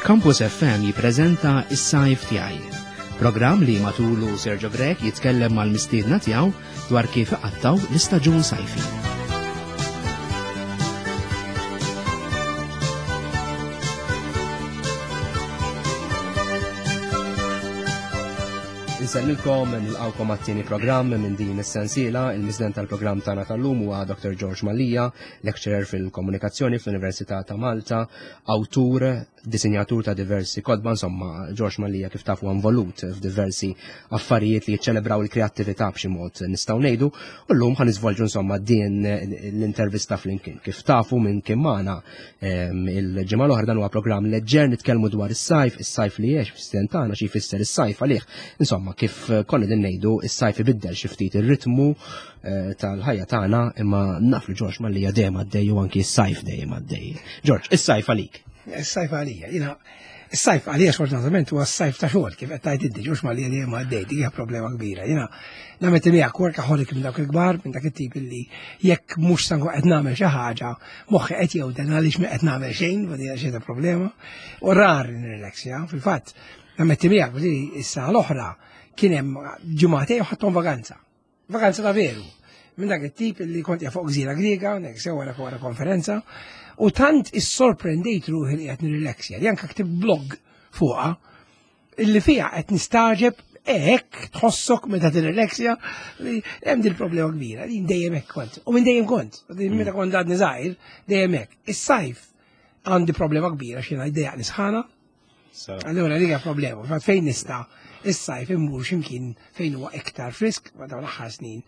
Campus FM jippreżenta Is-Sajf Tiegħi. Programm li matulu Sergio Grech jitkellem mal-mistiedna tiegħu dwar kif iqattaw l-istaġun sajfi. Insellilkom, nilqawkom għat-tieni programm minn din is-sensiela. Il-miżden tal-programm tagħna tal-lum huwa Dr. George Mallia, lecturer fil-komunikazzjoni fl-Università ta' Malta, awtur, disinjatur ta' diversi kotba, insomma, George Mallia kif tafu involut f'diversi affarijiet li jiċċelebraw il-kreattività b'xi mod nistgħu ngħidu, u llum ħa niżvolġu insomma din l-intervista flimkien. Kif tafu minn kien magħna il-ġimgħa l-oħra dan huwa programm leġġer nitkellmu dwar is-sajf, is-sajf li għex fis-snin tagħna xi jfisser is-sajf għalih. Insomma, kif konna din ngħidu, is-sajf ibiddel xi ftit ir-ritmu eh, tal-ħajja tagħna imma naf li Ġorġ Mallia dejjem għaddej u anki s-sajf dejjem għaddej. Ġorġ, is-sajf għalik. Is-sajf għalija, jiena is-sajf għalija sfortunatament huwa s-sajf ta' xogħol kif qed tgħid inti Ġorġ Mallia dejjem għaddej, dik hija problema kbira. Jiena nagħmel miegħek workaholic minn dawk il-kbar, minn dak it-tip illi jekk mhux sangu qed nagħmel xi ħaġa, moħħi qed jewden għaliex ma qed nagħmel xejn, u din xi problema. U rar nirrelaxja, fil-fatt, nammetti miegħek li issa l-oħra kien hemm ġimgħatej u ħadthom vaganza. Vakanza ta' veru. Minn dak it-tip li kont fuq gżira Griega, nek sew wara wara konferenza, u tant issorprendejt ruħi li qed nirrilaxja, li anke ktib blog fuqha, illi fiha qed nistaġeb hekk tħossok meta tirrilaxja li hemm din problema kbira, li dejjem hekk kont. U minn dejjem kont, meta kont għadni żgħir, dejjem hekk. Is-sajf għandi problema kbira x'jiena jdejjaq nisħana, Allura li hija problema, fatt fejn nista' is-sajf immur x'imkien fejn huwa iktar frisk, ma dawn l-aħħar snin,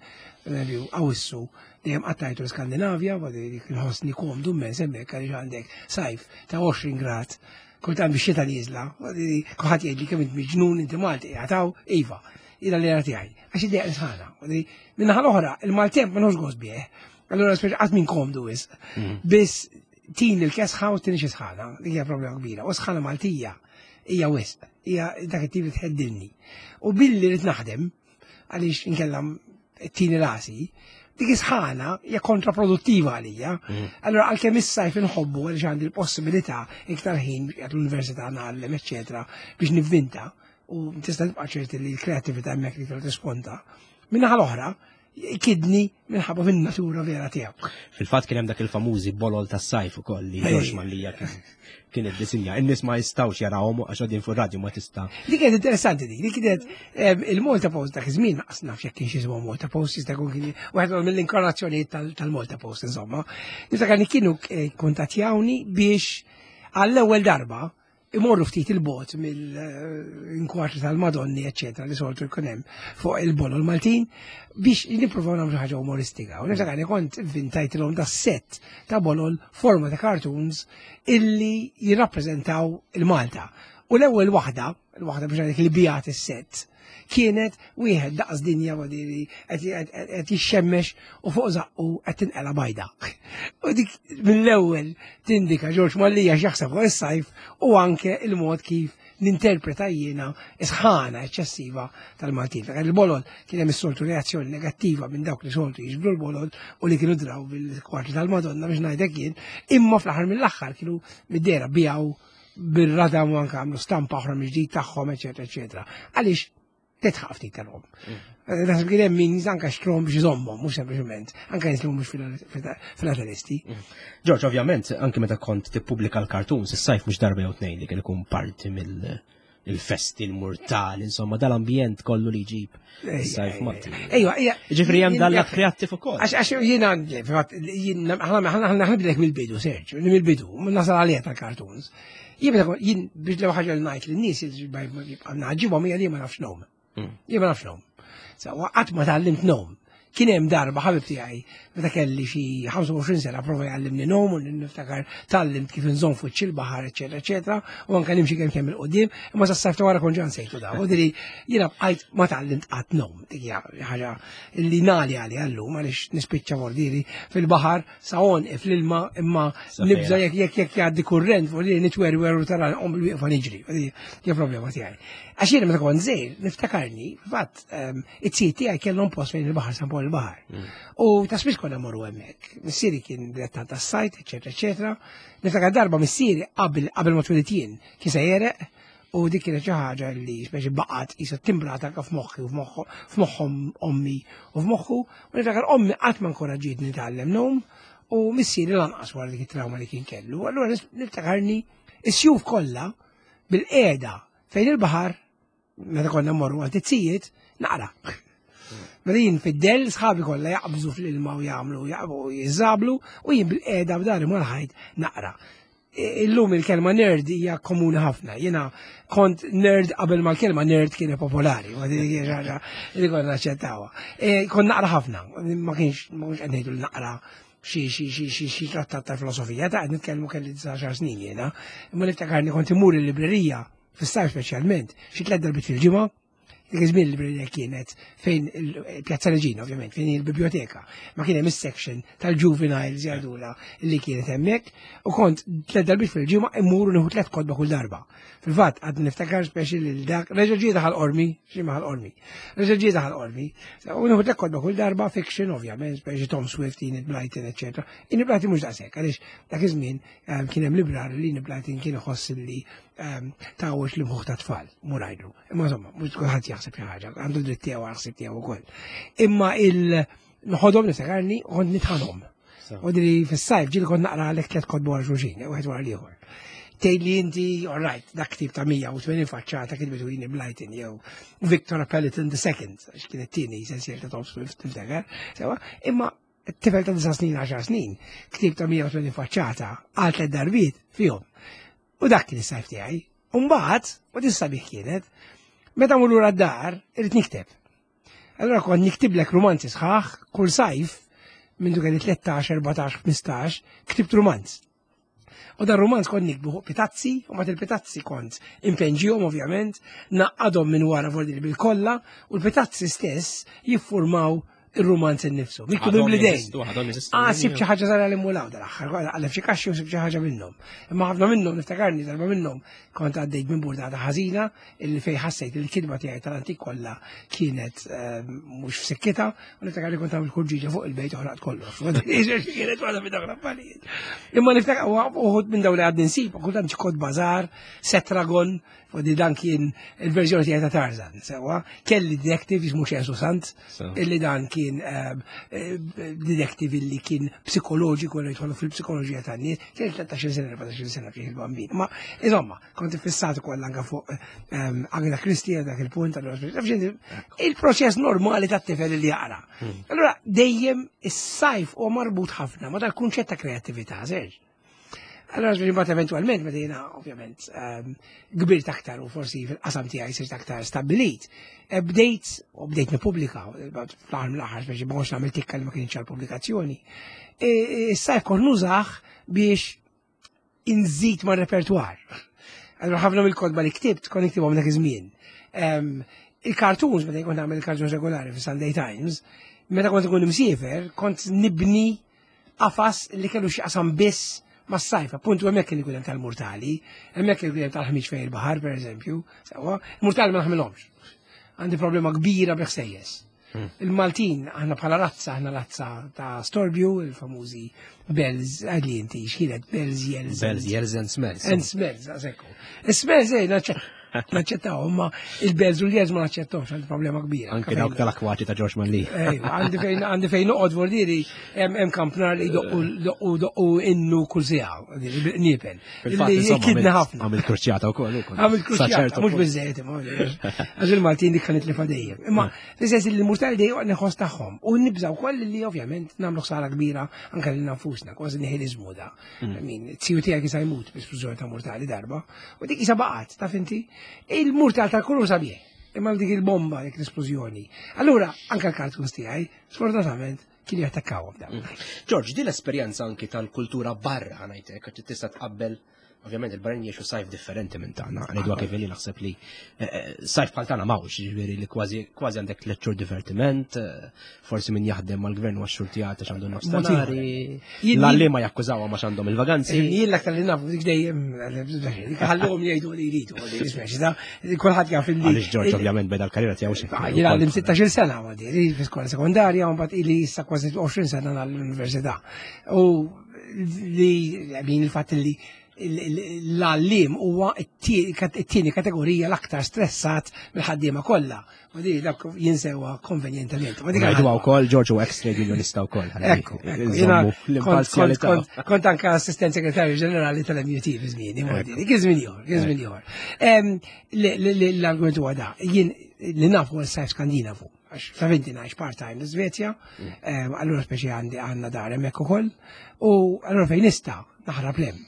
pereżempju Awwissu dejjem qattajtu l-Skandinavja, ma dik inħossni komdu mmens hemmhekk għaliex għandek sajf ta' 20 grad, kultant biex xita nieżla, kulħadd jgħidli kemm int miġnun inti Malti qiegħed hawn, iva, ila li tiegħi, għax idejja sħana. Minnaħa l-oħra, il-maltemp ma nħoss gost bih, allura speċi qatt minn komdu wisq. Mm. Biss Tin il-kesħa u tin xi sħana, li hija problema kbira. U sħana Maltija hija wisq, hija dak it-tip li tħeddilni. U billi rrid naħdem, għaliex inkella tini rasi, dik is-sħana hija kontraproduttiva għalija. Mm. Allora għalkemm is-sajf inħobbu għaliex għandi l-possibilità iktar ħin għat l-università ngħallem, eċċetera, biex nivvinta u tista' tibqa' ċerti li l-kreattività hemmhekk li tisponta. Minnaħa l-oħra, kidni minħabba fin natura vera tiegħu. Fil-fatt kien hemm dak il-famużi bolol tas-sajf ukoll li George Mallia kien iddisinja. In-nies ma jistgħux jarawhom għax qegħdin fuq radio ma tista'. Dik kienet interessanti dik, dik kienet il-Malta Post dak iż-żmien naqas naf jekk kienx jismu Malta Post jista' jkun kien waħed mill-inkarnazzjonijiet tal-Malta Post insomma. Niftakar li kienu eh, kuntattjawni biex għall-ewwel darba imorru ftit il-bot mill-inkwatri tal-Madonni, eccetera, li soltu jkun hemm fuq il-bolol Maltin biex nippruvaw nagħmlu ħaġa umoristika. U niftakar li kont inventajtilhom da set ta' bolol forma ta' cartoons illi jirrappreżentaw il-Malta. U l-ewwel waħda, l-waħda biex ngħidlek li bijat is-set, kienet wieħed daqs dinja wadiri qed jixxemmex u fuq zaqqu qed tinqela bajda. U dik mill-ewwel tindika Ġorġ Mallija x'jaħseb fuq is-sajf u anke il-mod kif ninterpreta jiena isħana eċċessiva tal-Maltin. Il-bolol kien hemm is-soltu reazzjoni negattiva minn dawk li soltu jiġbru l-bolol u li kienu draw bil-kwarti tal-Madonna biex ngħidlek jien, imma fl-aħħar mill-aħħar kienu mid-dera bijaw bil-radam u anke għamlu stampa oħra mill-ġdid tagħhom, eċetera, eċetera. Għaliex titħaq ftit tal-om. Mm. Eh, naħseb kien hemm min anke xtrom biex iżommhom, mhux sempliċement, anke nies li mhumiex filatelisti. Mm. George, ovvjament, anke meta kont tippubblika l-cartoons, is-sajf mhux darba jew tnejn li kien ikun parti mill- il-festi, il-murtal, insomma, dal-ambjent kollu li jġib sajf Malti. Ejwa, ejja. Ġifri hemm dal kreattiv ukoll. Għax għax jiena jiena aħna ħnibdilek mill-bidu, Serġ, mill-bidu, nasal għalija tal-cartoons. Jien jien biex l ħaġa li ngħid lin-nies jibqa' naġibhom hija li ma nafx nom. Mm. Jien ma nafx nom. Qatt ma tgħallimt nom. Kien hemm darba ħabib tiegħi meta kelli xi 25 sena prova jgħallimni nom u niftakar tgħallimt kif inżomm fuq il-baħar, eċetera, eċetera, u anke nimxi kemm kemm il-qudiem, imma sa sajf ta' wara kont ġan sejtu da. U diri jiena bqajt ma tgħallimt qatt nom. Dik hija ħaġa li nali għali għallum għaliex nispiċċa mordiri fil-baħar sa għonqi fl-ilma imma nibża jekk jekk jekk jgħaddi kurrent fuq li nitwerwer u tara nqom bil-wieqfa niġri. Hija problema tiegħi. Għax jiena meta kont żgħir niftakarni, fatt ehm, it-tzijiet tiegħi kellhom post fejn il-baħar San Pawl. il-baħar. U ta' spiss konna morru hemmhekk. Missieri kien dilettant tas-sajt, eċetera, eċetera. Niftakar darba missieri qabel qabel ma twilidt jien kien se jereq u dik kienet xi ħaġa li speċi baqgħet qisha timbrata anke f'moħħi u f'moħħhom ommi u f'moħħu. U niftakar ommi qatt ma nkoraġġietni nitgħallem ngħum u missieri lanqas wara dik it-trauma li kien kellu. Allura niftakarni is-sjuf kollha bil-qiegħda fejn il-baħar meta konna mmorru għal tizzijiet, naqra. Meta jien fid-del, sħabi kollha jaqbżu fl-ilma u jagħmlu jaqbu jiżablu u jien bil-qiegħda b'dari mal-ħajt naqra. Illum il-kelma nerd hija komuni ħafna. Jiena kont nerd qabel ma l-kelma nerd kienet popolari, ma din kien ħaġa li konna naċċettawha. E, kont naqra ħafna, ma kienx ma kienx qed ngħidu naqra xi xi xi xi xi trattat ta' filosofija ta' qed nitkellmu kelli 19 snin jiena. Imma niftakarni kont imur il-librerija fis-sajf speċjalment, xi tliet darbiet fil-ġimgħa, dik iż-żmien il-librerija kienet fejn il-Pjazza Reġina ovvjament, fejn il-biblioteka, ma kien hemm is-section tal-juveniles jgħidula li kienet hemmhekk u kont tliet darbiet fil-ġimgħa immur nieħu tliet kotba kull darba. Fil-fatt għad niftakar speċi lil dak reġa' ġie daħal qormi, xi maħal qormi. Reġa' ġie daħal qormi. U nieħu tliet kotba kull darba fiction ovvjament, speċi Tom Swift, Enid Blyton, eċetera. Enid Blyton mhux daqshekk għaliex dak iż-żmien kien hemm librar li Enid Blyton kien iħoss li tawx li mħuħ ta' tfal, murajdu. Imma insomma, mhux kulħadd jaħseb xi ħaġa, għandu dritt tiegħu għal ħsieb tiegħu wkoll. Imma il nħodhom niftakarni u kont nitħanhom. U dri fis-sajf ġieli kont naqra għalek tliet kotba wara xulxin, wieħed wara l-ieħor. Tgħid li inti, all right, dak ktib ta' 180 faċċata kitbitu Enid Blyton jew Victor Peliton the Second, għax kien it-tieni sensiel ta' Tom Swift, tiftakar, sewa, imma tifel ta' 9 snin, 10 snin, ktib ta' 180 faċċata għal tliet darbiet fihom. U dak kien is-sajf tiegħi. U mbagħad, u din sabiħ kienet, meta mur lura d-dar, irid nikteb. Allora kont niktiblek romanzi sħaħ kull sajf minn kelli 13, 14, 15, ktibt romanz. U dan romanz kont nikbu fuq pitazzi, u mat il-pitazzi kont impenġihom ovvjament, naqqadhom minn wara fordi bil-kolla, u l-pitazzi stess jiffurmaw ir-rumanz innifsu. Miktub bl-idejn. Ah, sib xi ħaġa żgħira li mulaw dal-aħħar, għalef xi kaxxi u sib xi ħaġa minnhom. Imma ħafna minnhom niftakarni darba minnhom kont għaddejt minn burdata ħażina illi fej ħassejt li l-kitba tiegħi tal-antik kollha kienet mhux f'sikkitha u niftakarni kont għamil kurġiġa fuq il-bejt u ħraqt kollox. Kienet waħda minn dawk l-affarijiet. Imma niftakar uħud minn dawn li għadni nsib, kultant xi kod bażar, Setragon, U di dan kien il-verżjoni tiegħi ta' Tarzan, sewwa. Kelli detective jismu Ċensu Sant, illi dan kien detective illi kien psikoloġiku li jidħolu fil-psikoloġija tan-nies, kien 13 sena, 14 sena kien il-bambin. Ma insomma, kont iffissat ukoll anke fuq Agatha Christie dak il-punt, il-proċess normali tat-tifel li jaqra. Allura dejjem is-sajf huwa marbut ħafna ma dal-kunċett ta' kreattività, Serġ. Allora ġifieri mbagħad eventwalment meta jiena ovvjament kbirt aktar u forsi fil-qasam tiegħi sirt aktar stabbilit, bdejt u bdejt nippubblika fl-aħħar mill-aħħar speċi ma kontx nagħmel tikka li ma kienx għall-pubblikazzjoni. Issa kont nużah biex inżid ma' repertwar. Allora ħafna mill-kotba li ktibt kont niktibhom dak iż-żmien. Il-cartoons, meta kont nagħmel il-cartoons regolari fi Sunday Times, meta kont ikun imsiefer, kont nibni qafas li kellu x'jaqsam biss mas-sajf, appuntu hemmhekk kien ikun hemm tal-murtali, hemmhekk kien ikun hemm tal-ħmiġ fejn il-baħar pereżempju, sewwa, il-murtali ma naħmilhomx. Għandi problema kbira bi ħsejjes. Il-Maltin, aħna bħala razza, aħna razza ta' storbju, il-famużi bells, għadli inti, x'kienet bells, yells. Bells, yells and smells. And smells, għasekku. Smells, ej, naċċettaw, imma il-bells u l-yells ma naċċettawx, għandi problema kbira. Anke dawk tal-akwaċi ta' George Manli. Ejwa, għandi fejn noqgħod vordieri hemm kampnar li doqqu doqqu innu kull siegħa, bil-qniepel. Kidna ħafna. Għamil kruċjata wkoll. Għamil kruċjata, mhux biżejjed imma. Għax il-Maltin dik kienet li dejjem. Imma fis-sens li l-murtali dejjem neħos tagħhom u nibżgħu wkoll li ovvjament nagħmlu ħsara kbira anke lil nfusna, kważi nihilizmu da. Min, t-siju tiegħek jista' jmut bl-esplużjoni ta' murtali darba, u dik isa baqgħet, taf inti, il-murtal tal-kulur sabiħ, imma dik il-bomba, dik l-esplużjoni. Allura, anke l-cartoons tiegħi, sfortunatament, kien jattakkawhom dawn. George, din l-esperjenza anki tal-kultura barra ngħidlek, għax tista' tqabbel Ovvjament il-barranin jgħixu sajf differenti minn tagħna, ngħidu kif li naħseb li eh, eh, sajf bħal tagħna m'hawnx, ġifieri li kważi kważi għandek tliet xhur divertiment, eh, forsi min jaħdem mal-gvern huwa xhur tiegħek għax għandu nofstanari, l-għalli ma jakkużawha ma għandhom il-vaganzi. Jien l-aktar li nafu dik dejjem ħallhom jgħidu li jridu, kulħadd jaf li. Għaliex Ġorġ ovvjament beda l-karriera tiegħu xi. Jien għallim 16-il sena għandi, fi skola sekondarja u mbagħad ili issa kważi 20 sena l-università. U li min il-fatt li l-għallim huwa it-tieni kategorija l-aktar stressat mill-ħaddiema kollha. U di dak jinsewa konvenjentement. Ma dik Ngħidu wkoll George u ex trade unionista wkoll. Ekku, kont anke assistent segretarju ġenerali tal-MUT fi żmieni, kien żmien ieħor, kien żmien ieħor. L-argument huwa da, jien li nafu s-sajf Skandinavu. Għax taf inti ngħix part-time l-Iżvezja, mm. eh, allura speċi għandi għandna dar hemmhekk ukoll, u allura fejn nista' naħrab lem.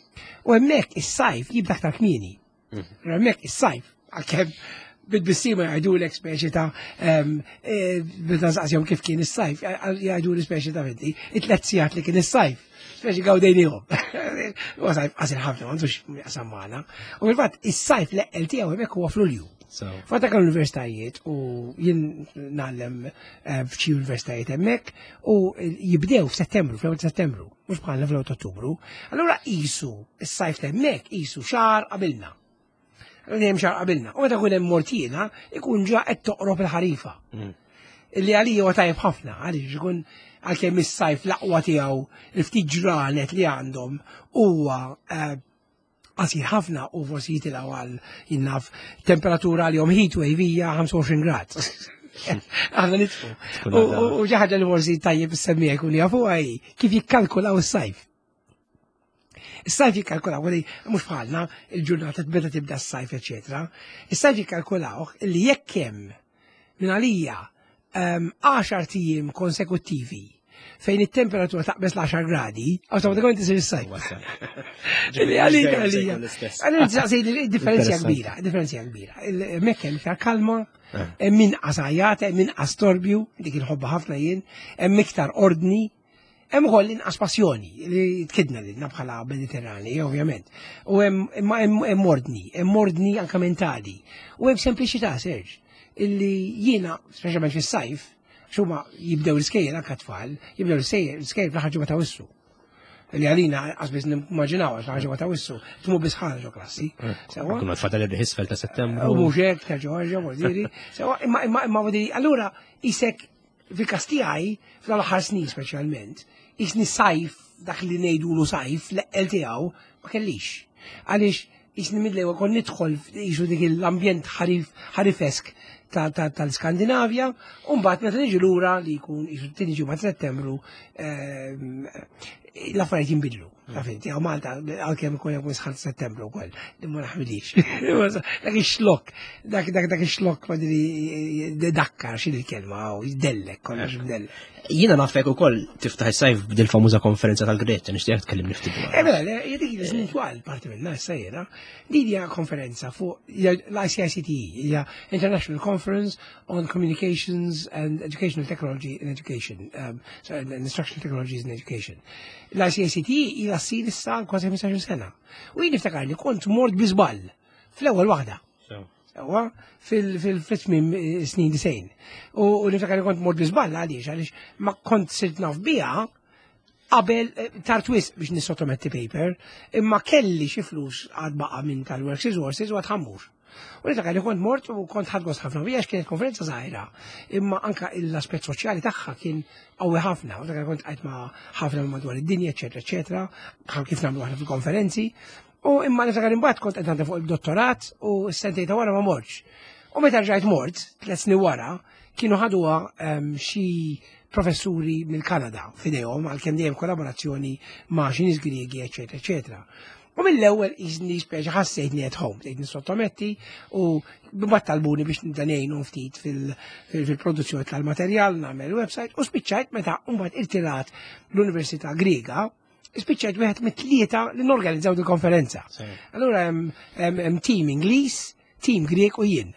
U hemmhekk is-sajf jibda aktar kmieni. Mm. Hemmhekk is-sajf għalkemm bid-bissima jgħidulek speċi ta' eh, meta nsaqsihom kif kien is-sajf, jgħidu li speċi ta' inti, it-tlet sigħat li kien is-sajf. Speċi gawdejnihom. U sajf qasir ħafna, m'għandux jaqsam magħna. U fil-fatt is-sajf l-eqqel tiegħu hemmhekk huwa f'Lulju. Fatta kan universitajiet u jien nagħllem eh, f'xi universitajiet hemmhekk u jibdew f'Settembru, fl-ewwel Settembru, mhux bħalna fl-ewwel Ottubru. Allura qisu is-sajf hemmhekk qisu xahar qabilna. Allura hemm xahar qabilna. U meta jkun hemm mortina, ikun ġa qed toqrob il-ħarifa. Mm. Illi għalija huwa tajjeb ħafna, għaliex ikun għalkemm is-sajf l-aqwa tiegħu l-ftit ġranet li għandhom huwa eh, qasir ħafna u forsi jitilgħu għal jinnaf temperatura għal jom heat wave hija 25 grad. Aħna nitfu. U xi ħaġa li forsi tajjeb issemmija jkun jafu hi kif jikkalkulaw is-sajf. Is-sajf jikkalkulaw, li mhux bħalna il-ġurnata meta tibda s-sajf, eċetera. Is-sajf jikkalkulaw li jekk hemm minn għalija 10 tijiem konsekuttivi fejn it-temperatura taqbeż l-10 gradi, awtomatikament isir is-sajf. Għalija, għalija. Għalija, differenzja kbira, differenzja kbira. Mekk hemm iktar kalma, eh. hemm inqas għajat, hemm inqas torbju, dik inħobba ħafna jien, hemm iktar ordni, Hemm ukoll inqas passjoni li tkidna lilna bħala Mediterrani, ovvjament. U hemm imma hemm ordni, hemm ordni anke mentali. U hemm sempliċità, Serġ, illi jiena, speċjalment fis-sajf, xuma jibdew l-iskejjel anke tfal, jibdew l-iskejjel fl-aħħar ġimgħa ta' wissu. Li għalina qas nimmaġinaw għax l-aħħar ġimgħa ta' wissu, tmu biss ħana ġo klassi. Eh, Sewa. Kuna tfadal irriħ isfel ta' Settembru. U mhux hekk ta' ġo, Sewa, imma imma imma allura isek Fil-każ tiegħi, f'dawn l-aħħar snin speċjalment, jisni sajf dak li ngħidulu sajf l-eqqel tiegħu ma kellix. Għaliex jisni mill-ewwel kon nidħol jisu dik l-ambjent ħarifesk tal-Skandinavja, u mbagħad meta niġi lura li jkun jisu tieni ġimgħa Settembru ehm, l-affarijiet jinbidlu. Taf inti, għaw Malta, għal-kem ikun jgħu sħan settembru wkoll, li ma naħmilix. Dak ix-xlok, dak dak dak ix-xlok ma diri dakkar xi l-kelma, u jdellek, kollox mdellek. Jiena nafek ukoll tiftaħ is-sajf b'dil famuża konferenza tal-Greċja, nixtieq tkellimni ftit dwar. Eh mela, dik li twal parti minnha issa jiena, din hija konferenza fuq l-ICICTE, hija International Conference on Communications and Educational Technology in Education, um, sorry, and Instructional Technologies in Education. L-ICACT ila ssir issa kważi 15 sena. U jien niftakar li kont mort bi żball fl-ewwel waħda. Sewa, fil-tmiem eh, snin disejn. U niftakar li kont mort bi żball għaliex għaliex ma kont sirt naf biha qabel eh, tard wisq biex nissottometti paper, imma kelli xi flus għad baqa' minn tal-Works Resources u għad ħammur. U niftakar li kont mort u kont ħadd gost ħafna bija kienet konferenza żgħira, imma anka l-aspett soċjali tagħha kien qawwi ħafna. U niftakar kont qajt ma' ħafna madwar id-dinja, eċetera, eċetera, bħal kif nagħmlu aħna fil-konferenzi. U imma niftakar imbagħad kont qed fuq il-dottorat u s-sentejn ta' wara ma mortx. U meta rġajt mort, tliet snin wara, kienu ħaduha ehm, xi professuri mill-Kanada f'idejhom għalkemm dejjem kollaborazzjoni ma' xi nies Griegi, eċetera, eċetera. U mill-ewwel iżni speċi ħassejtni at home, bdejt nissottometti u mbagħad talbuni biex nibda ngħinu ftit fil-produzzjoni tal-materjal, nagħmel website u spiċċajt meta mbagħad irtirat l-Università Griega, spiċċajt wieħed mit-tlieta li norganizzaw il-konferenza. Allura hemm team Ingliż, Tim Grieg u jien.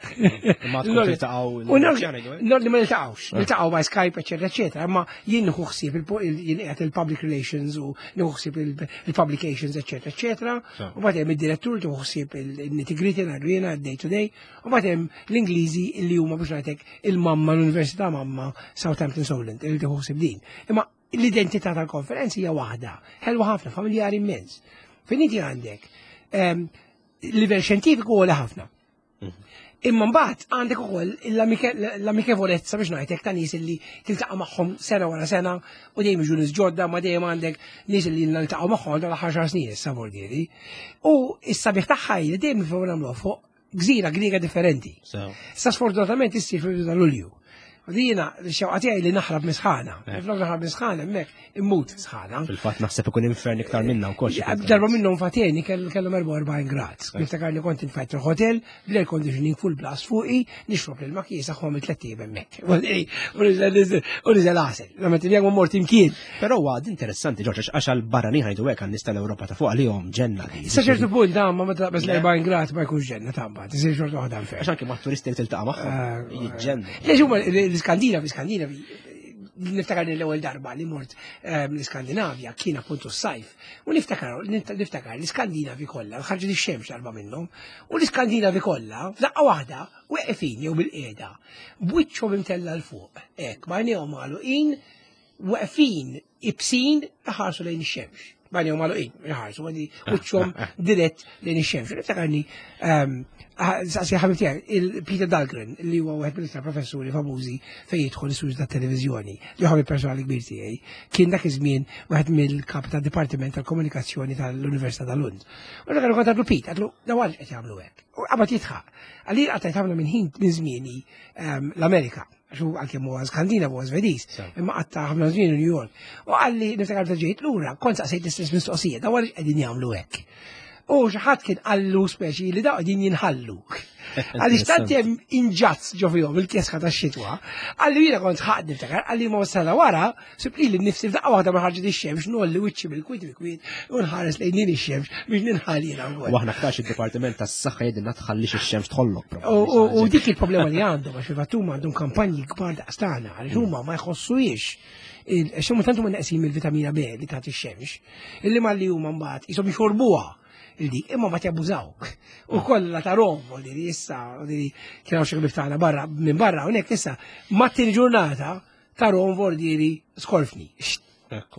Ma tkun tiltaqgħu Li ma niltaqgħux, ah. niltaqgħu by Skype, eċetera, eċetera, imma jien nieħu ħsieb jien qiegħed il-public relations u nieħu ħsieb il-publications, eċetera, eċetera. U mbagħad hemm id-direttur tieħu ħsieb il-nitty-gritty ngħidu jiena day to day, u mbagħad hemm l-Ingliżi li huma biex ngħidlek il-mamma l-Università mamma Southampton Solent li tieħu ħsieb din. Imma l-identità tal-konferenzi hija waħda, ħelwa ħafna, familjari immens. Fejn inti għandek ehm, livell xjentifiku għoli ħafna. Mhm. Imma mbagħad għandek ukoll l-amikevolezza biex ngħidlek ta' nies li tiltaqa' magħhom sena wara sena u dejjem jiġu nies ġodda ma dejjem għandek nies li niltaqgħu magħhom dal ħaxar snin issa vordieri. U s-sabiħ tagħha li dejjem nagħmluha fuq gżira Griega differenti. Sa sfortunatament issir fil-bidu ta' Lulju. U dina xewqa tiegħi li naħrab misħana. Eh. Flok naħrab misħana hemmhekk immut sħana. Fil-fatt naħseb ikun infern iktar minna wkoll. Darba minnhom fateni kellhom 44 grad. Eh. Niftakar li kont infajt il-hotel bl-air conditioning full blast fuqi, nixrob l kiesaħ u għamil tliet ijiem hemmhekk. U niżel għasel. Lama tibjeg mort imkien. Però huwa interessanti Ġorġ għax għal barranin ħajdu hekk għan-nies tal-Ewropa ta' fuq għalihom ġenna. Sa ċertu punt da ma meta taqbeż l-40 grad ma jkunx ġenna ta' mbagħad, isir xorta waħda nfer. Għax anke ma' turisti li tiltaqa' magħhom eh, jiġġenna. Le huma l-Iskandinavi, l-Iskandinavi niftakar l-ewwel darba li mort ehm, l-Iskandinavja kien appuntu s-sajf. U niftakar niftakar l-Iskandinavi kollha, ħarġet ix-xemx darba minnhom, u l-Iskandinavi kollha f'daqqa waħda weqfin jew bil-qiegħda, b'wiċċhom imtella 'l fuq, hekk b'għajnejhom magħluqin weqfin ibsin iħarsu lejn ix-xemx. B'għajnejhom magħluqin, iħarsu għandi wiċċhom dirett lejn ix-xemx. Niftakarni ehm, saqsi ħabib tiegħi il-Peter Dahlgren li huwa wieħed mill-iktar professuri famużi fejn jidħol is-suġ tat-televiżjoni, li ħabib personali kbir tiegħi, kien dak iż-żmien wieħed mill-kap tad-Dipartiment tal-Komunikazzjoni tal-Università ta' Lund. U dak kont għadlu Pete, għadlu daw għaliex qed jagħmlu hekk. U qabad jidħaq. Għalli qattajt ħafna minn ħin minn żmieni ehm, l-Amerika għax hu għalkemm huwa Skandinav huwa Svediż, imma qatta' ħafna żmien New York. U qalli niftakar meta ġejt lura, kont saqsejt l-istess mistoqsija, daw għaliex qegħdin jagħmlu hekk. U xi ħadd kien qallu speċi li daw qegħdin jinħallu. Għaliex tant hemm inġazz ġo fihom il-kesħa tax-xitwa. Qalli jiena kont ħaqt niftakar, qalli ma sena wara, sib li nnifsi f'daqqa waħda ma ħarġet ix-xemx, nolli wiċċi bil-kwiet bil-kwiet u nħares lejn din ix-xemx biex ninħal jiena wkoll. U aħna aktarx id-Dipartiment tas-Saħħa jgħidilna tħallix ix-xemx tħollok. U dik il-problema li għandhom għax fil-fatt huma għandhom kampanji kbar daqstana għaliex huma ma jħossuhiex għax huma tant huma neqsin mill-vitamina B li tagħti x-xemx, illi malli huma mbagħad qishom jxorbuha il-dik, imma ma jabbużaw. U kollha ta' rom, u li issa, u li kienu xi ħbieb tagħna barra minn barra hawnhekk issa, mat-tieni ġurnata ta' rom vordieri skorfni.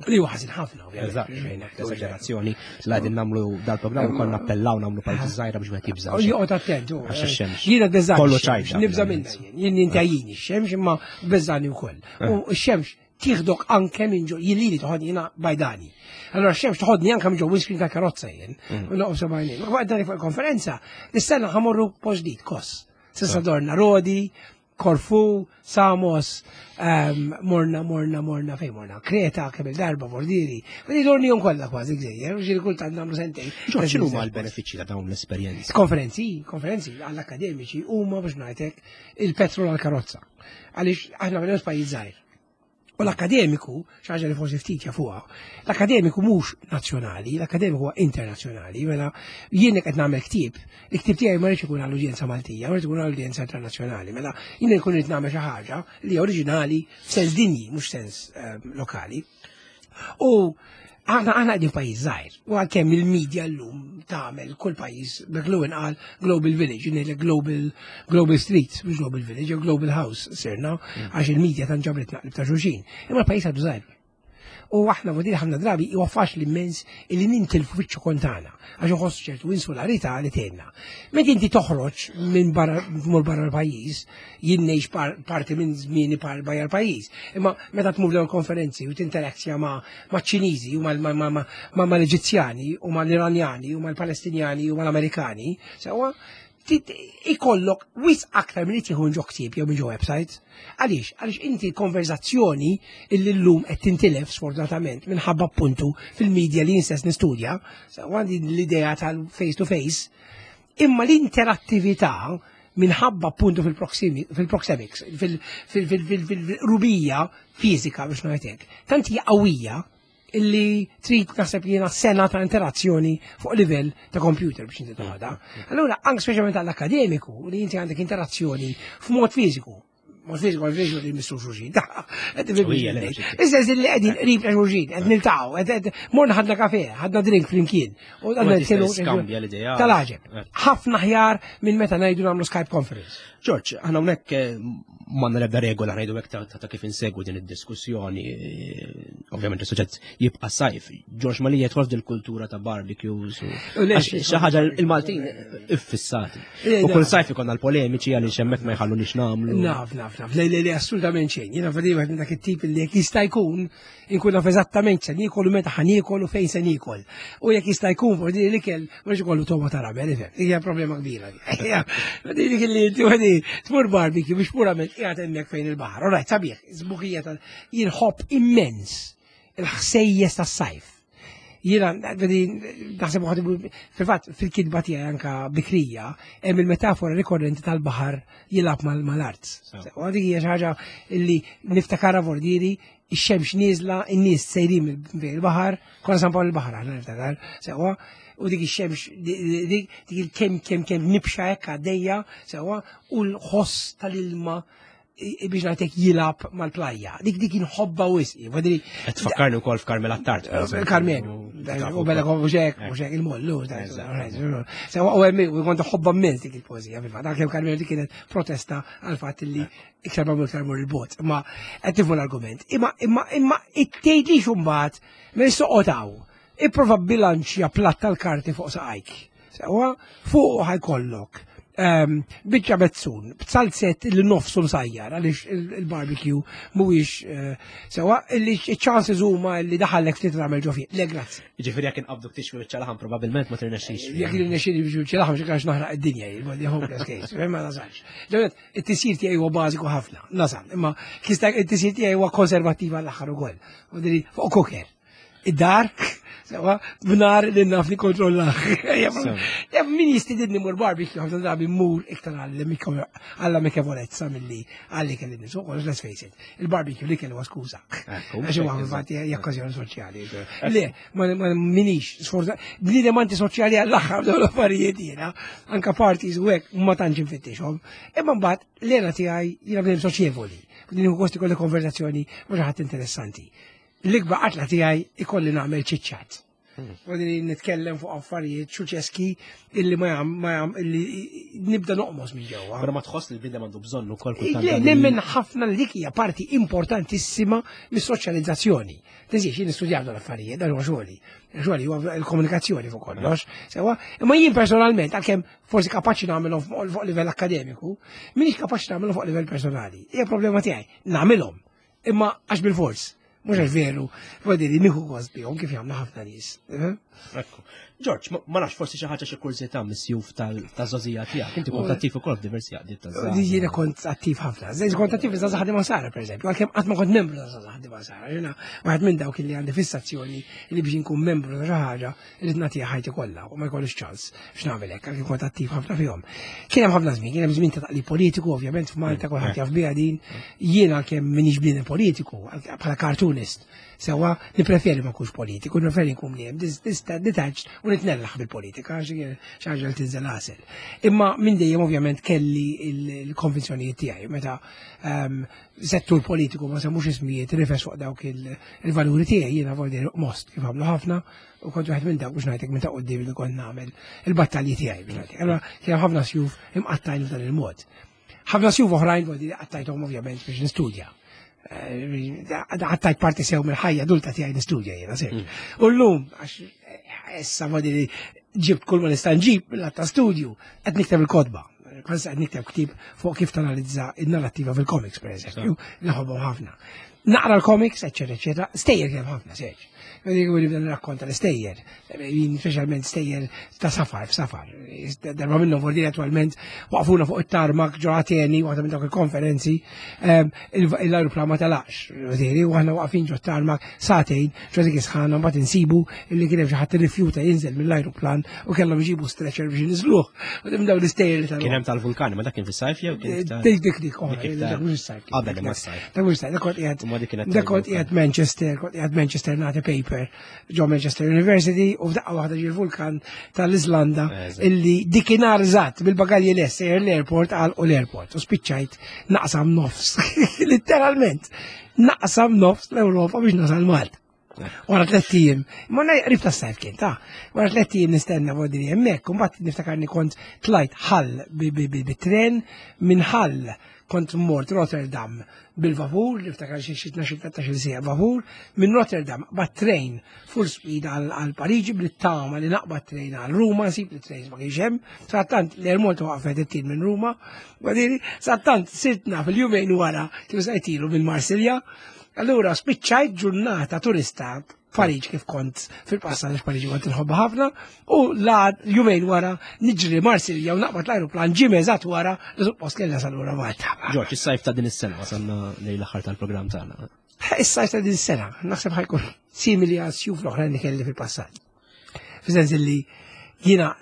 Li huwa ħażin ħafna, ovvjament. Eżagerazzjoni, la din nagħmlu dal-programm ukoll nappellaw nagħmlu parti żgħira biex wieħed jibża'. Joqgħod attent. Għax ix-xemx. Jiena beżgħan. Kollu ċajta. Nibża' minnha jien. Jien intajjini x-xemx imma beżgħani wkoll. Eh. U x-xemx tieħdok anke minn ġo, jien lili toħodni jiena bajdani. Allora x-xemx toħodni anke minn ġo windscreen ta' karozza jien. Mm. U noqgħod sebgħajnejn. Ma waqt fuq il-konferenza, nistenna ħamorru post ġdid, kos. Sissa eh. dorna Rodi, Korfu, Samos, ehm, morna, morna, morna, fej morna, Kreta, kemm il-darba, Bordiri, u dorni jom kollha kważi gżejjer, u ġiri kultant nagħmlu sentejn. X'inhu huma l-benefiċċji ta' dawn l-esperjenzi? Konferenzi, konferenzi għall-akademiċi huma biex ngħidlek il-petrol għall-karozza. Għaliex aħna minn pajjiż żgħir. U l-akademiku, xaġa li forsi ftit jafuha, l-akademiku mhux nazzjonali, l-akademiku huwa internazzjonali, mela jien qed nagħmel ktieb, il-ktieb tiegħi ma rridx ikun għall-udjenza Maltija, ma rridx ikun għall-udjenza internazzjonali, mela jien nkun irid nagħmel xi ħaġa li oriġinali f'sens dinji, mhux sens ehm, lokali. U Aħna aħna qegħdin pajjiż żgħir, u għalkemm il-medja llum tagħmel kull pajjiż McLuhan qal Global Village, ngħidlek Global Global Street, mhux Global Village, jew Global House sirna, mm. għax il-medja tan ġabret naqlib ta' xulxin. Imma l-pajjiż għadu żgħir. U aħna vodili ħafna drabi huwa faċli immens illi nintilfu fiċ-ċokon tagħna għax inħossu ċertu insularità li tgħinna. Meta inti toħroġ minn barra tmur barra l-pajjiż, jien ngħix parti minn żmieni par barra l-pajjiż, imma meta tmur dawn konferenzi u tinterazzja ma' maċ-Ċiniżi u mal-Eġizzjani u mal-Iranjani u mal-Palestinjani u mal-Amerikani, sewwa ikollok wis aktar minn tieħu ġo ktieb jew minn ġo website. Għaliex? Għaliex inti konverzazzjoni illi llum qed tintilef sfortunatament minħabba appuntu fil-medja li jinstess nistudja, għandi l-idea tal-face to face, imma l-interattività minħabba appuntu fil-proxemics, fil-rubija fizika biex ngħidlek, tant hija qawwija. illi trid naħseb jiena sena ta' interazzjoni fuq livell ta' computer biex inti toħodha. Allura anke speċjalment għall-akademiku li inti għandek interazzjoni f'mod fiżiku. Mod fiżiku għal fiżiku li missu xulxin. Issa li qegħdin qrib ta' xulxin, qed niltaqgħu, qed morna ħadna kafe, ħadna drink flimkien. U għadna nitkellmu tal-għaġeb. Eh. Ħafna ħjar minn meta ngħidu nagħmlu Skype conference. George, aħna hawnhekk eh, m'għandna l-ebda regola ngħidu hekk ta' kif insegwu din id-diskussjoni. Eh, ovvjament is-suġġett jibqa' sajf. George Malija jidħol f'dil-kultura ta' barbecues u xi ħaġa il-Maltin iffissati. U kull sajf ikonna l-polemiċi għaliex hemmhekk ma jħallunix nagħmlu. Naf, naf, naf. Le, le, le, assolutament xejn. Jiena fadi wieħed minn dak it-tip li jekk jista' jkun inkun naf eżattament se niekol u meta ħa niekol u fejn se niekol. U jekk jista' jkun forsi l-ikel mhux ikollu toma ta' rabel, ifhem. Hija problema kbira. Dik li inti tmur barbecue biex purament qiegħed hemmhekk fejn il-baħar. All right, sabiħ, żbuħija tal jien ħobb immens il-ħsejjes tas-sajf. Jiena, naħseb uħad, fil-fatt, fil-kitba tiegħi anka bikrija, hemm il-metafora rikorrenti tal-baħar jilgħab mal-art. U dik hija xi ħaġa li niftakara vordieri ix-xemx nieżla, in-nies sejrin mill-baħar, konna San Pawl il-baħar aħna niftakar, sewwa, u dik ix-xemx dik il-kemm kemm kemm nibxa hekk għaddejja, sewwa, u l-ħoss tal-ilma biex ngħidlek jilgħab mal-plajja. Dik dik inħobba wisq. Qed tfakkarni wkoll f'Carmel Attard. Eh, Carmel. U bella mhux hekk, mhux hekk il-mollu. Sewwa u hemm u kont ħobba immens dik il-poeżija fil-fatt. Anke Carmel dik kienet protesta għal fatt li iktar ma iktar mur il-bot. Imma qed tifhmu l-argument. Imma imma imma it-tgħidlix imbagħad minn soqgħod Ipprova bilanċja platt tal-karti fuq saqajk. Sewwa fuq ħajkollok ehm, biċċa bezzun, b'salzett li nofsu msajjar għaliex il-barbecue mhuwiex eh, sewwa li ċ-chances huma li daħallek ftit tagħmel ġo fih. Le grazzi. Ġifieri jekk inqabduk tixwi biċċa laħam probabbilment ma tirnexxix. Jekk irnexxili biex biċċa laħam xi kax naħraq id-dinja, jien hopeless case, ma nasalx. It-tisjir tiegħi huwa bażiku ħafna, nasal, imma it-tisjir tiegħi huwa konservattiv għall-aħħar ukoll. Fuq cooker. Id-dar, sewa, b'nar li naf li kontrollah. Min jistididni mur barbecue, ħafna drabi mur iktar għall-amikevolezza milli għalli kelli nisu, let's face it, il-barbecue li kellu skuża. Għax huwa infatti okkażjoni soċjali. Le, ma minix, sforza, bniedem antisoċjali għall-aħħar dawn l-affarijiet jiena, anka parties u hekk ma tantx infittixhom. Imma mbagħad l-era tiegħi jiena bniedem soċjevoli, bniedem gost ikolli konversazzjoni ma' xi ħadd interessanti. L-ikbar qatla tiegħi ikolli nagħmel ċiċċat. Għadini nitkellem fuq affarijiet xuċeski illi ma jam, ma jam, illi nibda noqmos minn ġewwa. Però ma tħoss li l-bidem għandu bżonn ukoll kultant. Nemmen ħafna li dik hija parti importantissima mis-soċjalizzazzjoni. Tiżix jien nistudjaw dawn l-affarijiet, dan huwa xogħli. Xogħli huwa l-komunikazzjoni fuq kollox. Sewa, imma jien personalment għalkemm forsi kapaċi nagħmelhom fuq livell akkademiku, minix kapaċi nagħmelhom fuq livell personali. Hija problema tiegħi, nagħmilhom. Imma għax bil-fors. Mhux għax veru, vodi li nieħu gost bihom kif jagħmlu ħafna nies. Eh? Ekku. Ġorġ, ma nafx forsi xi ħaġa xi kurżità mis-sjuf tal-żożija tiegħek. Inti kont attiv ukoll f'diversi għaqdiet ta' żgħażagħ. Jiena kont attiv ħafna. Żejt kont attiv iż-żgħażagħ ħadima sara pereżempju, għalkemm qatt ma kont membru ta' żgħażagħ ħadima sara. Jiena waħed minn dawk li għandi fissazzjoni li biex inkun membru ta' xi ħaġa irid nagħtiha ħajti kollha u ma jkollix ċans biex nagħmel hekk għalkemm kont attiv ħafna fihom. Kien hemm ħafna żmien, kien hemm żmien ta' taqlib politiku, ovvjament f'Malta kulħadd jaf biha din. Jiena għalkemm m'iniex bniedem politiku, bħala cartoonist, sewwa nippreferi ma nkunx politiku, nippreferi nkun bniedem detached u nitnellaħ bil-politika xi ħaġa li tinżel għasel. Imma minn dejjem ovvjament kelli l-konvinzjonijiet tiegħi meta ehm, settur politiku ma semmux ismijiet rifes fuq dawk il-valuri tiegħi jiena voldi most kif għamlu ħafna u kont wieħed minn dawk biex ngħidlek minn ta' quddiem li kont nagħmel il-battalji tiegħi biex ngħidlek. Allura kien hemm ħafna sjuf imqattajn f'dan il-mod. Ħafna sjuf oħrajn kont qattajthom ovvjament biex nistudja. Eh, qattajt parti sew mill-ħajja adulta tiegħi nistudja jiena sew. Mm. U llum għax eh, issa vodi li ġibt kull ma nista' nġib mill ta' studju qed nikteb il-kotba. Kważi qed nikteb ktieb fuq kif tanalizza in-narrattiva fil-comics pereżempju, naħobhom ħafna. Naqra l-comics, eċċetera, eċċetera, stejjer kemm ħafna, seġ. Għu nibda nirrakkonta l-istejjer, jien speċjalment stejjer ta' safar, f'safar. Darba minnhom vordi attualment waqfuna fuq it-tarmak ġo Ateni, waħda minn dawk il-konferenzi, ehm, l-aeroplan ma talax, u aħna waqfin ġo tarmak sagħtejn, ġo dik isħana mbagħad insibu illi kien hemm xi ħadd irrifjuta jinżel mill-aeroplan u kellhom iġibu stretcher biex jinżluh. U minn dawn l-istejjer li tal Kien hemm tal-vulkani, ma dak kien fis-sajf jew kien Dik dik dik, dak mhux is-sajf. Qabel imma s-sajf. Dak mhux is-sajf, dak kont qiegħed. Insomma dik kienet. Dak kont qiegħed Manchester, kont qiegħed Manchester nagħti paper ġo Manchester University u f'daqqa waħda ġie vulkan tal-Iżlanda illi dikinhar eżatt bil-bagalji lest sejjer l-airport għal u l-airport u spiċċajt naqsam nofs. Literalment naqsam nofs l-Ewropa biex nasal Malta. Wara tlett ijiem, ma qrib ta' sajf kien ta' wara tlett ijiem nistenna vodri hemmhekk, u mbagħad niftakarni kont tlajt ħall bit-tren minn ħall kont mort Rotterdam bil-vapur, niftakar xi xi 12-13 siegħa vapur, minn Rotterdam qbad train full speed għal Pariġi bl-tama li naqbad train għal Ruma, nsib li trains ma kienx hemm, sattant l-Air Malta waqfet it-tin minn Ruma, għadiri, sattant sirtna fil-jumejn wara kif sajtilu minn Marsilja, Allura spiċċajt ġurnata turista Pariġ kif kont fil-passat għax Pariġi kont inħobbha ħafna u la jumejn wara niġri Marsilja u naqbad l-ajruplan ġim eżatt wara li suppost kellha salura Malta. Ġorġ, is-sajf ta' din is-sena wasalna lejn l-aħħar tal-programm tagħna. Is-sajf ta' din is-sena, naħseb ħajkun simili għal sjuf l-oħrajn li kelli fil-passat. Fis-sens li jiena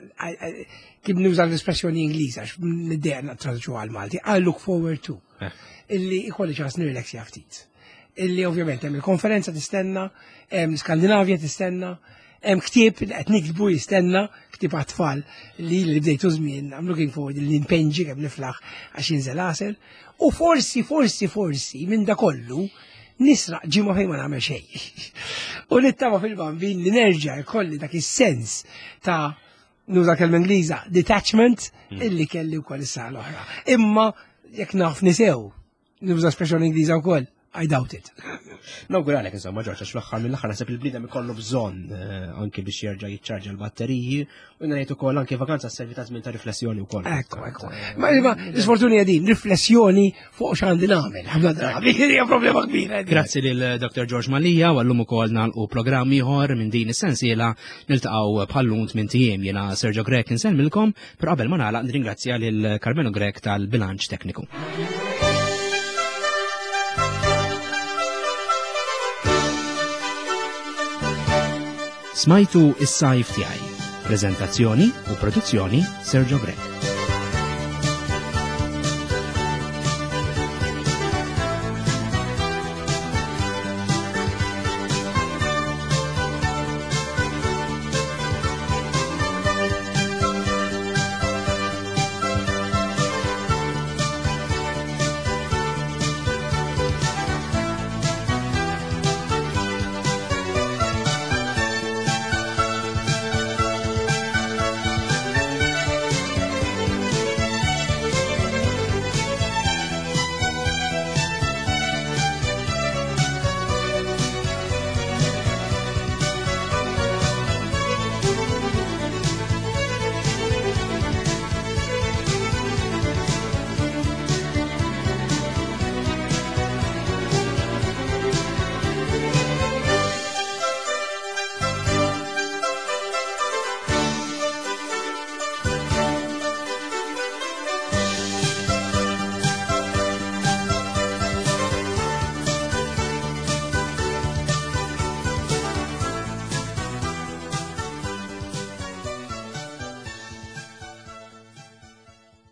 kif nuża l-espressjoni Ingliża għax niddejjaq nittraduċu għal Malti, I look forward to. Eh. Illi ikolli ċans nirrelaxja ftit. Illi ovvjament hemm il-konferenza tistenna, hemm Skandinavja tistenna, hemm ktieb li qed niktbu jistenna, ktieb għat-tfal li li bdejtu żmien, I'm looking forward li npenġi kemm niflaħ għax jinżel għasel. U forsi, forsi, forsi, minn da kollu, nisraq ġimgħa fejn ma nagħmel xejn. U nittama fil-bambin li nerġa' jkolli dak is-sens ta' nuża kelma Ingliża, detachment, mm. illi kelli wkoll is l-oħra. Imma jekk naf nisew, nuża espressjoni Ingliża wkoll, I doubt it. Nawguralek insomma Ġorġ għax fl-aħħar mill-aħħar naħseb il-bniedem ikollu bżonn eh, anke biex jerġa' jiċċarġa l-batteriji u ngħid ukoll anke vakanza sservi ta' żmien ta' riflessjoni wkoll. Ekku, ekku. Ma l-isfortuni hija din, riflessjoni fuq x'għandi nagħmel. Ħafna drabi hija problema kbira. Grazzi lil Dr. George Malija u għallum ukoll nagħlqu programm ieħor minn din is-sensiela niltaqgħu bħallum tmien ijiem jiena Sergio Grek insellmilkom, però qabel ma nagħlaq nirringrazzja lil Carmelo Grek tal-bilanċ tekniku. Smajtu is-sajf tiegħi. Prezentazzjoni u produzzjoni Sergio Grek.